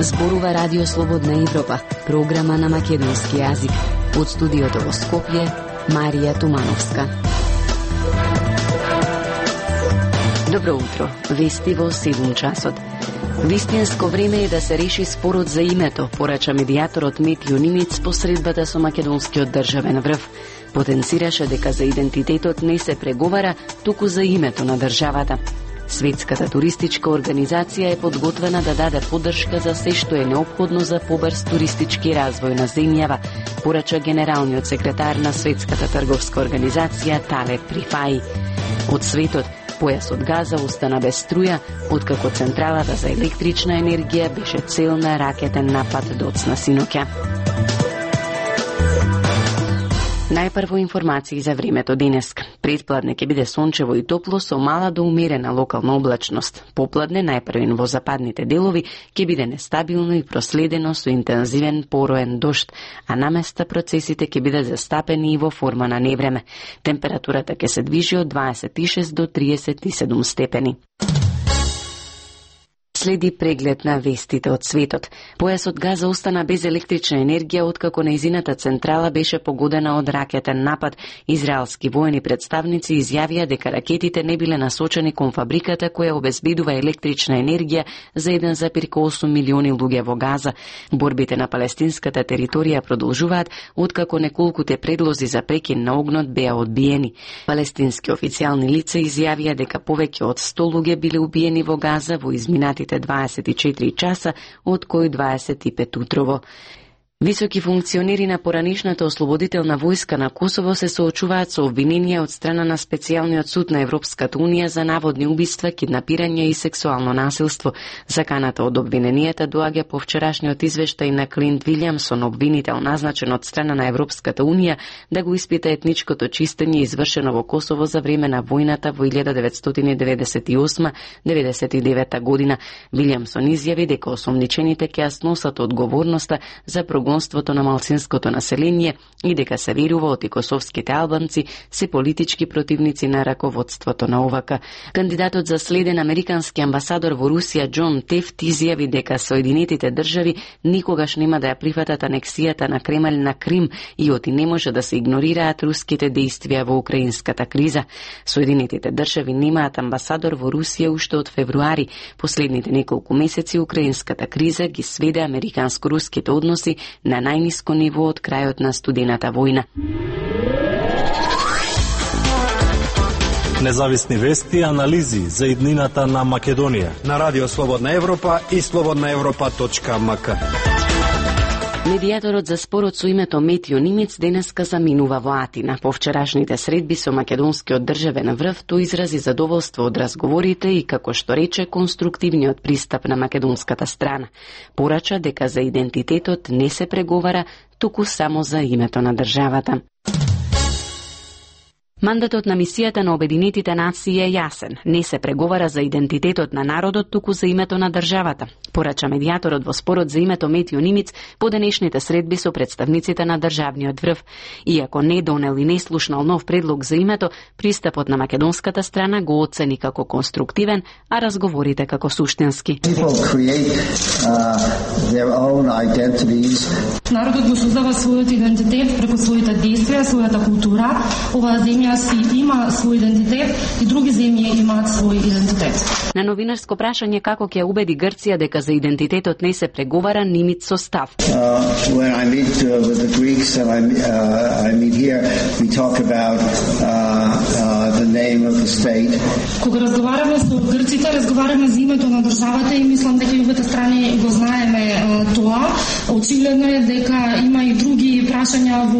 Зборува Радио Слободна Европа, програма на македонски јазик. Од студиото во Скопје, Марија Тумановска. Добро утро, вести во 7 часот. Вистинско време е да се реши спорот за името, порача медијаторот Метјо Нимиц по средбата со македонскиот државен врв. Потенцираше дека за идентитетот не се преговара, туку за името на државата. Светската туристичка организација е подготвена да даде поддршка за се што е неопходно за побрз туристички развој на земјава, порача генералниот секретар на Светската трговска организација Талет Рифаи. Од светот, појасот Газа остана без струја, откако централата за електрична енергија беше цел на ракетен напад доцна синоќа. Најпрво информации за времето денеска. Предпладне ќе биде сончево и топло со мала до умерена локална облачност. Попладне, најпрвен во западните делови, ќе биде нестабилно и проследено со интензивен пороен дожд, а наместа процесите ќе бидат застапени и во форма на невреме. Температурата ќе се движи од 26 до 37 степени. Следи преглед на вестите од светот. Појасот Газа остана без електрична енергија откако нејзината централа беше погодена од ракетен напад. Израелски воени представници изјавија дека ракетите не биле насочени кон фабриката која обезбедува електрична енергија за 1,8 милиони луѓе во Газа. Борбите на палестинската територија продолжуваат откако неколкуте предлози за прекин на огнот беа одбиени. Палестински официјални лица изјавија дека повеќе од 100 луѓе биле убиени во Газа во изминатите 24 часа, од кои 25 утрово. Високи функционери на поранишната ослободителна војска на Косово се соочуваат со обвиненија од страна на специјалниот суд на Европската унија за наводни убиства, киднапирање и сексуално насилство. Заканата од обвиненијата доаѓа по вчерашниот извештај на Клинт Вилјамсон, обвинител назначен од страна на Европската унија да го испита етничкото чистење извршено во Косово за време на војната во 1998-99 година. Вилјамсон изјави дека осомничените ќе сносат одговорноста за прогонството на малцинското население и дека се верува оти косовските албанци се политички противници на раководството на ОВК. Кандидатот за следен американски амбасадор во Русија Џон Тефт изјави дека Соединетите држави никогаш нема да ја прифатат анексијата на Кремљ на Крим и оти не може да се игнорираат руските дејствија во украинската криза. Соединетите држави немаат амбасадор во Русија уште од февруари. Последните неколку месеци украинската криза ги сведе американско-руските односи на најниско ниво од крајот на студената војна. Независни вести и анализи за иднината на Македонија на Радио Слободна Европа и slobodnaevropa.mk. Медијаторот за спорот со името Метјо Нимиц денеска заминува во Атина. По вчерашните средби со македонскиот државен врв, тој изрази задоволство од разговорите и, како што рече, конструктивниот пристап на македонската страна. Порача дека за идентитетот не се преговара, туку само за името на државата. Мандатот на мисијата на Обединетите нации е јасен. Не се преговара за идентитетот на народот, туку за името на државата. Порача медијаторот во спорот за името Метјо Нимиц по денешните средби со представниците на државниот врв. Иако не донел и не слушнал нов предлог за името, пристапот на македонската страна го оцени како конструктивен, а разговорите како суштински. Народот го создава својот идентитет преку своите действија, својата култура. Оваа земја си има свој идентитет и други земји имаат свој идентитет. На новинарско прашање како ќе убеди Грција дека за идентитетот не се преговара, Нимиц со став. When I meet with the Greeks and I meet here, we talk about the name of the state. Кога разговараме со грците, разговараме за името на државата и мислам дека и обете страни го знаеме тоа. Очигледно е дека има и други прашања во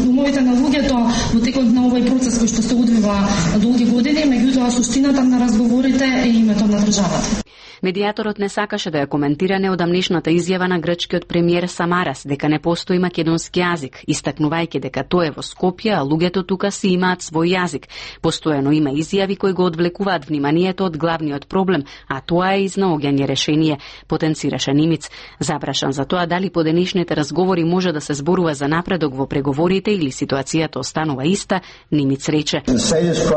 умовите на луѓето во текот на овој процес кој што се одвива долги години, меѓутоа суштината на разговорите е името на државата. Медијаторот не сакаше да ја коментира неодамнешната изјава на грчкиот премиер Самарас дека не постои македонски јазик, истакнувајќи дека тој е во Скопје, а луѓето тука си имаат свој јазик. Постојано има изјави кои го одвлекуваат вниманието од главниот проблем, а тоа е изнаоѓање решение, потенцираше Нимиц. Запрашан за тоа дали по денешните разговори може да се зборува за напредок во преговорите или ситуацијата останува иста, Нимиц рече: Статус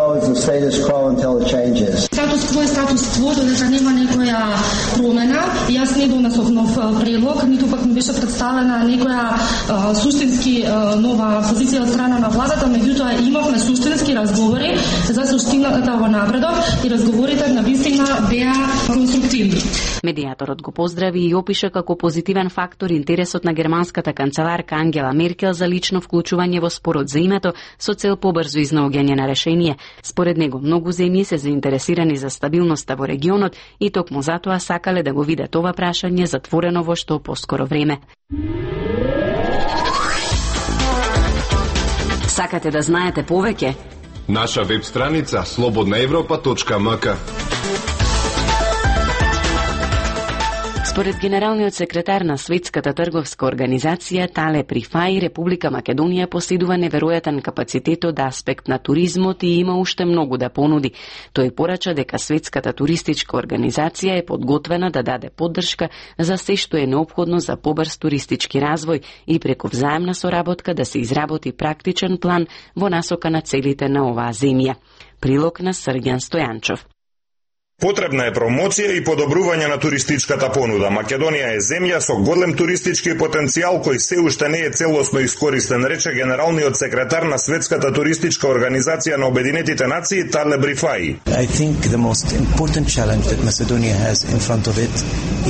кво е статус кво, додека нема некоја која промена. Јас не донесов нов предлог, ниту пак ми беше представена некоја суштински нова позиција од страна на владата, меѓутоа имавме суштински разговори за суштината во напредок и разговорите на вистина беа конструктивни. Медијаторот го поздрави и опиша како позитивен фактор интересот на германската канцеларка Ангела Меркел за лично вклучување во спорот за името со цел побрзо изнаоѓање на решение. Според него, многу земји се заинтересирани за стабилноста во регионот и токму затоа сакале да го видат ова прашање затворено во што поскоро време. Сакате да знаете повеќе? Наша веб страница slobodnaevropa.mk. Според генералниот секретар на Светската трговска организација Тале Рифаи, Република Македонија поседува неверојатен капацитет од аспект на туризмот и има уште многу да понуди. Тој порача дека Светската туристичка организација е подготвена да даде поддршка за се што е неопходно за побрз туристички развој и преку взаемна соработка да се изработи практичен план во насока на целите на оваа земја. Прилог на Срѓан Стојанчов. Потребна е промоција и подобрување на туристичката понуда. Македонија е земја со голем туристички потенцијал кој се уште не е целосно искористен, рече генералниот секретар на Светската туристичка организација на Обединетите нации Тале Рифаи. I think the most important challenge that Macedonia has in front of it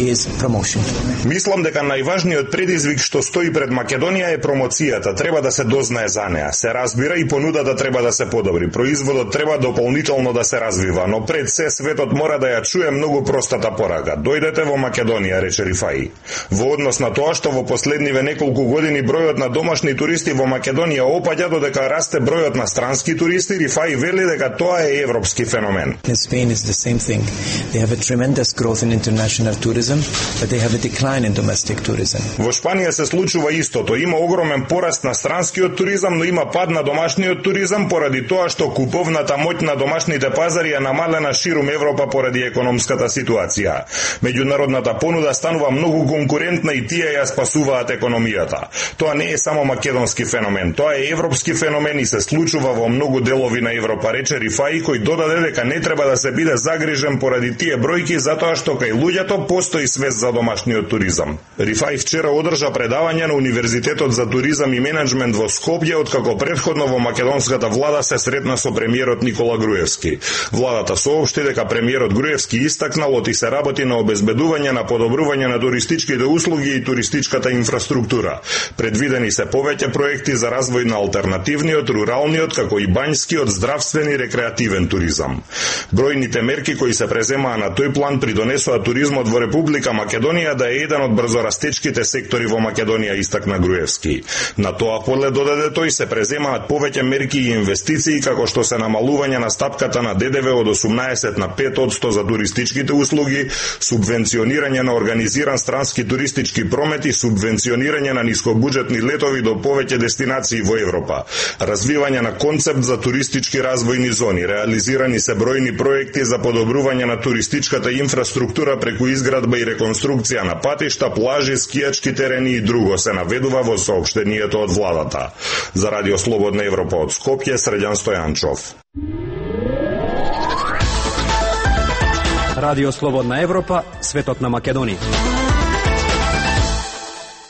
is promotion. Мислам дека најважниот предизвик што стои пред Македонија е промоцијата. Треба да се дознае за неа. Се разбира и понудата треба да се подобри. Производот треба дополнително да се развива, но пред се светот мора да ја чуе многу простата порака. Дојдете во Македонија, рече Рифаи. Во однос на тоа што во последниве неколку години бројот на домашни туристи во Македонија опаѓа додека расте бројот на странски туристи, Рифаи вели дека тоа е европски феномен. In Spain is the same thing. They have a tremendous growth in international tourism, but they have a decline in domestic tourism. Во Шпанија се случува истото. Има огромен пораст на странскиот туризам, но има пад на домашниот туризам поради тоа што куповната моќ на домашните пазари е намалена ширум Европа поради економската ситуација. Меѓународната понуда станува многу конкурентна и тие ја спасуваат економијата. Тоа не е само македонски феномен, тоа е европски феномен и се случува во многу делови на Европа, рече Рифаи, кој додаде дека не треба да се биде загрижен поради тие бројки затоа што кај луѓето постои свест за домашниот туризам. Рифаи вчера одржа предавање на Универзитетот за туризам и менеджмент во Скопје, откако претходно во македонската влада се сретна со премиерот Никола Груевски. Владата соопшти дека премиерот Груевски истакнал оти се работи на обезбедување на подобрување на туристичките услуги и туристичката инфраструктура. Предвидени се повеќе проекти за развој на алтернативниот, руралниот, како и бањскиот, здравствен и рекреативен туризам. Бројните мерки кои се преземаа на тој план придонесоа туризмот во Република Македонија да е еден од брзорастечките сектори во Македонија, истакна Груевски. На тоа поле, додаде тој, се преземаат повеќе мерки и инвестиции, како што се намалување на стапката на ДДВ од 18 на 5% за туристичките услуги, субвенционирање на организиран странски туристички промет и субвенционирање на нискобуџетни летови до повеќе дестинации во Европа. Развивање на концепт за туристички развојни зони, реализирани се бројни проекти за подобрување на туристичката инфраструктура преку изградба и реконструкција на патишта, плажи, скијачки терени и друго, се наведува во соопштението од владата. За Радио Слободна Европа од Скопје, Срѓан Стојанчов. Радио Слободна Европа, светот на Македонија.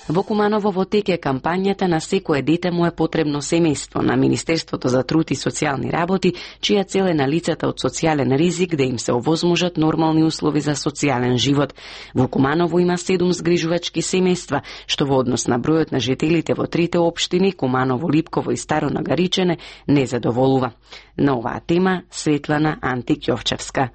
Во Куманово во тек е кампањата На секое дете му е потребно семејство на Министерството за труд и социјални работи, чија цел е на лицата од социјален ризик да им се овозможат нормални услови за социјален живот. Во Куманово има 7 згрижувачки семејства, што во однос на бројот на жителите во трите општини Куманово, Липково и Старо Нагаричене не задоволува. На оваа тема Светлана Антик-Јовчевска.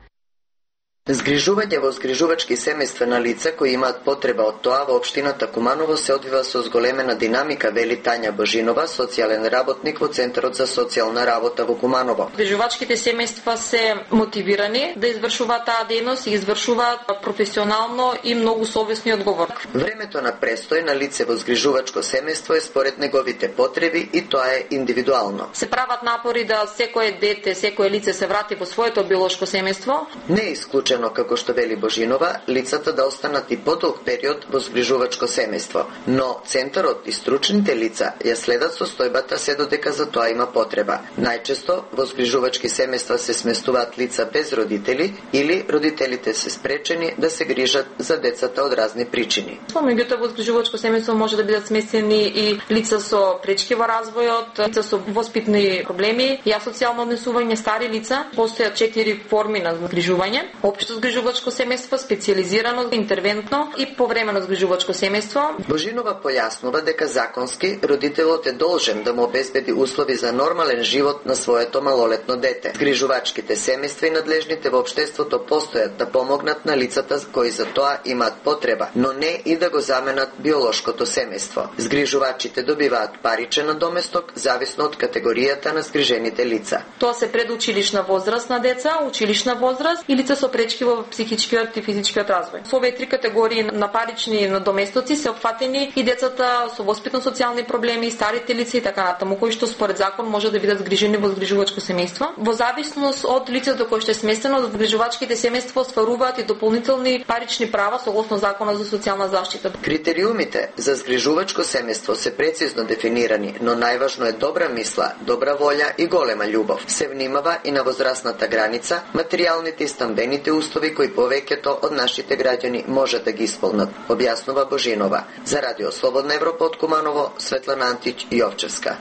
Згрижување во згрижувачки семејства на лица кои имаат потреба од тоа во општината Куманово се одвива со зголемена динамика, вели Тања Божинова, социјален работник во Центарот за социјална работа во Куманово. Згрижувачките семејства се мотивирани да извршуваат таа дејност и извршуваат професионално и многу совесно и одговорно. Времето на престој на лице во згрижувачко семејство е според неговите потреби и тоа е индивидуално. Се прават напори да секое дете, секое лице се врати во своето биолошко семејство. Не е исклучен предвидено, како што вели Божинова, лицата да останат и подолг период во згрижувачко семејство, но центарот и стручните лица ја следат состојбата се додека за тоа има потреба. Најчесто во згрижувачки семејства се сместуваат лица без родители или родителите се спречени да се грижат за децата од разни причини. Меѓутоа во згрижувачко семејство може да бидат сместени и лица со пречки во развојот, лица со воспитни проблеми и асоцијално однесување, стари лица. Постојат 4 форми на згрижување: општо згрижувачко семејство, специјализирано, интервентно и повремено згрижувачко семејство. Божинова појаснува дека законски родителот е должен да му обезбеди услови за нормален живот на своето малолетно дете. Згрижувачките семејства и надлежните во општеството постојат да помогнат на лицата кои за тоа имаат потреба, но не и да го заменат биолошкото семејство. Згрижувачите добиваат паричен надоместок зависно од категоријата на згрижените лица. Тоа се предучилишна возраст на деца, училишна возраст и лица со пречки во психичкиот и физичкиот развој. Со овие 3 категории на парични надоместоци се опфатени и децата со воспитно-социјални проблеми, старите лица и така натаму, кои што според закон може да бидат згрижени во згрижувачко семејство. Во зависност од лицето кое што е сместено, згрижувачките семејства остваруваат и дополнителни парични права согласно Законот за социјална заштита. Критериумите за згрижувачко семејство се прецизно дефинирани, но најважно е добра мисла, добра волја и голема љубов. Се внимава и на возрастната граница, материјалните и стамбените услови кои повеќето од нашите граѓани може да ги исполнат, објаснува Божинова. За Радио Слободна Европа од Куманово, Светлана Антич, Јовчевска.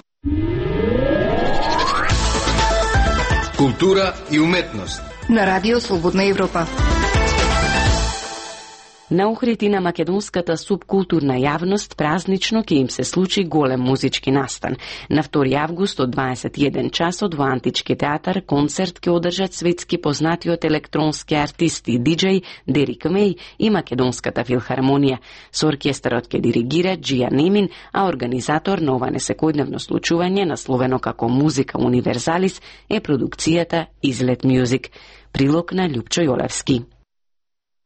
Култура и уметност на Радио Слободна Европа. На Охрид на македонската субкултурна јавност празнично ќе им се случи голем музички настан. На 2 август од 21 часот во Антички театар концерт ќе одржат светски познатиот електронски артист и диџеј Дерик Меј и Македонската филхармонија. Со оркестарот ќе диригира Джија Немин, а организатор на ова несекојдневно случување, насловено како Музика универзалис, е продукцијата Излет Мюзик. Прилог на Љупчо Јолевски.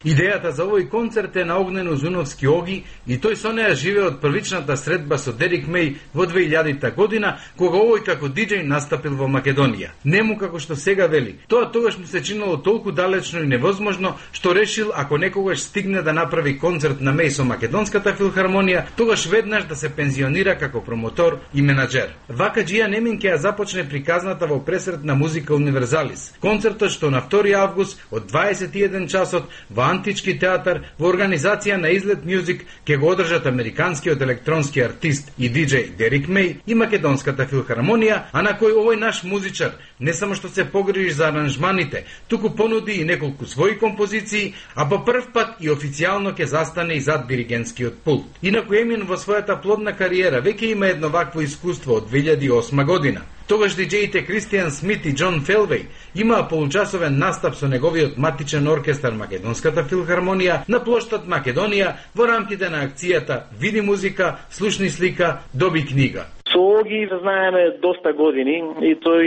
Идејата за овој концерт е на Огнен Узуновски Оги и тој со неа живее од првичната средба со Дерик Меј во 2000 година, кога овој како диџеј настапил во Македонија. Нему како што сега вели. Тоа тогаш му се чинело толку далечно и невозможно, што решил ако некогаш стигне да направи концерт на Меј со Македонската филхармонија, тогаш веднаш да се пензионира како промотор и менаџер. Вака Джија Немин ќе ја започне приказната во пресрет на Музика универзалис. Концертот што на 2 август од 21 часот во Антички театар во организација на Излет Мюзик ќе го одржат американскиот електронски артист и диџеј Дерик Меј и Македонската филхармонија, а на кој овој наш музичар не само што се погрижи за аранжманите, туку понуди и неколку своји композиции, а по прв пат и официјално ќе застане и зад диригентскиот пулт. Инаку Емин во својата плодна кариера веќе има едно вакво искуство од 2008 година. Тогаш диџеите Кристијан Смит и Џон Фелвеј имаа получасовен настап со неговиот матичен оркестар Македонската филхармонија на плоштад Македонија во рамките на акцијата Види музика, слушни слика, доби книга. Со Оги знаеме доста години и тој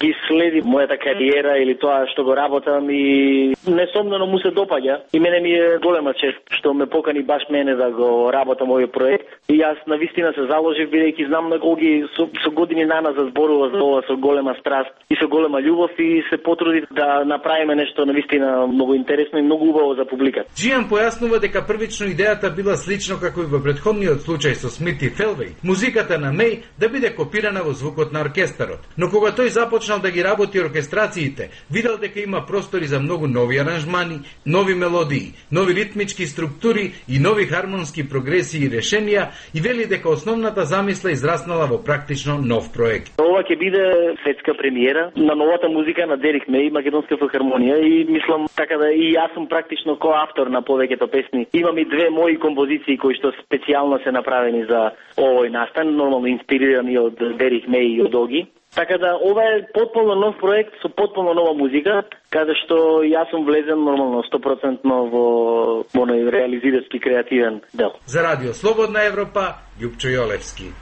ги следи мојата кариера или тоа што го работам и несомнено му се допаѓа. И мене ми е голема чест што ме покани баш мене да го работам овој проект. И јас навистина се заложив бидејќи знам на Оги со години наназад зборува за ова со голема страст и со голема љубов и се потруди да направиме нешто навистина многу интересно и многу убаво за публиката. Джијан појаснува дека првично идејата била слично како и во претходниот случај со Смит и Фелвеј. Музиката на Меј да биде копирана во звукот на оркестарот. Но кога тој започнал да ги работи оркестрациите, видел дека има простори за многу нови аранжмани, нови мелодии, нови ритмички структури и нови хармонски прогресии и решенија и вели дека основната замисла израснала во практично нов проект. Ова ќе биде светска премиера на новата музика на Дерик Меј и Македонска филхармонија и мислам така да и јас сум практично коавтор на повеќето песни. Имам и 2 мои композиции кои што специјално се направени за овој настан, нормално инспирирани од Дерик Меј и од Оги. Така да ова е потполно нов проект со потполно нова музика, каде што јас сум влезен нормално 100% во мој реализирачки креативен дел. За Радио Слободна Европа, Љупчо Јолевски.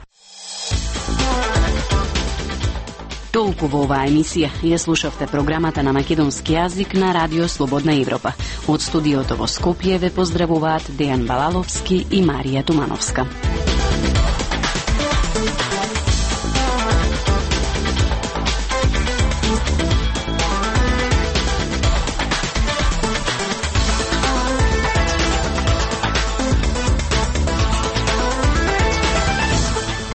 Толку во оваа емисија ја слушавте програмата на македонски јазик на Радио Слободна Европа. Од студиото во Скопје ве поздравуваат Дејан Балаловски и Марија Тумановска.